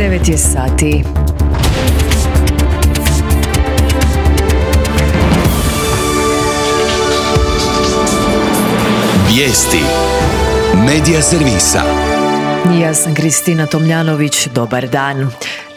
9 je sati. Vijesti Medija servisa. Ja sam Kristina Tomljanović, dobar dan.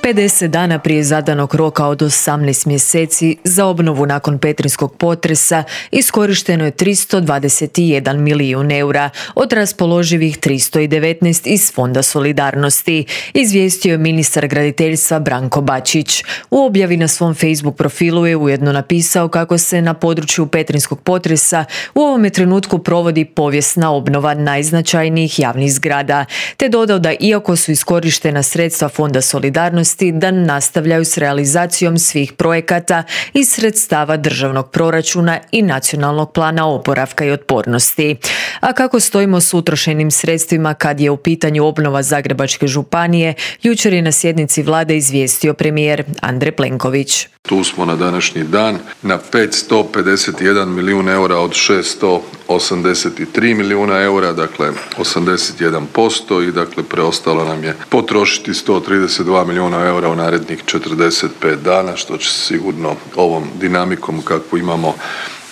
50 dana prije zadanog roka od 18 mjeseci za obnovu nakon petrinjskog potresa iskorišteno je 321 milijun eura od raspoloživih 319 iz Fonda solidarnosti, izvijestio je ministar graditeljstva Branko Bačić. U objavi na svom Facebook profilu je ujedno napisao kako se na području petrinjskog potresa u ovome trenutku provodi povijesna obnova najznačajnijih javnih zgrada, te dodao da iako su iskorištena sredstva Fonda solidarnosti, da nastavljaju s realizacijom svih projekata iz sredstava državnog proračuna i nacionalnog plana oporavka i otpornosti. A kako stojimo s utrošenim sredstvima kad je u pitanju obnova Zagrebačke županije, jučer je na sjednici vlade izvijestio premijer Andrej Plenković. Tu smo na današnji dan na 551 milijun eura od 683 milijuna eura, dakle 81% i dakle preostalo nam je potrošiti 132 milijuna eura u narednih 45 dana, što će se sigurno ovom dinamikom kakvu imamo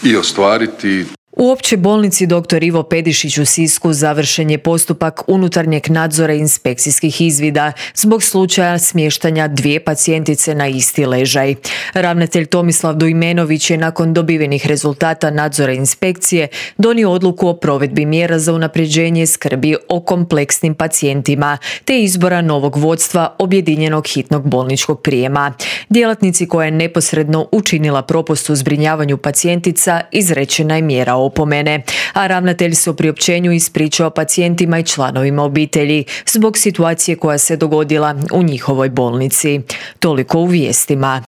i ostvariti. U Općoj bolnici dr. Ivo Pedišić u Sisku završen je postupak unutarnjeg nadzora i inspekcijskih izvida zbog slučaja smještanja 2 pacijentice na isti ležaj. Ravnatelj Tomislav Dujmenović je nakon dobivenih rezultata nadzora inspekcije donio odluku o provedbi mjera za unapređenje skrbi o kompleksnim pacijentima te izbora novog vodstva objedinjenog hitnog bolničkog prijema. Djelatnici koja je neposredno učinila propust u zbrinjavanju pacijentica izrečena je mjera opomene, a ravnatelj se u priopćenju ispričao pacijentima i članovima obitelji zbog situacije koja se dogodila u njihovoj bolnici. Toliko u vijestima.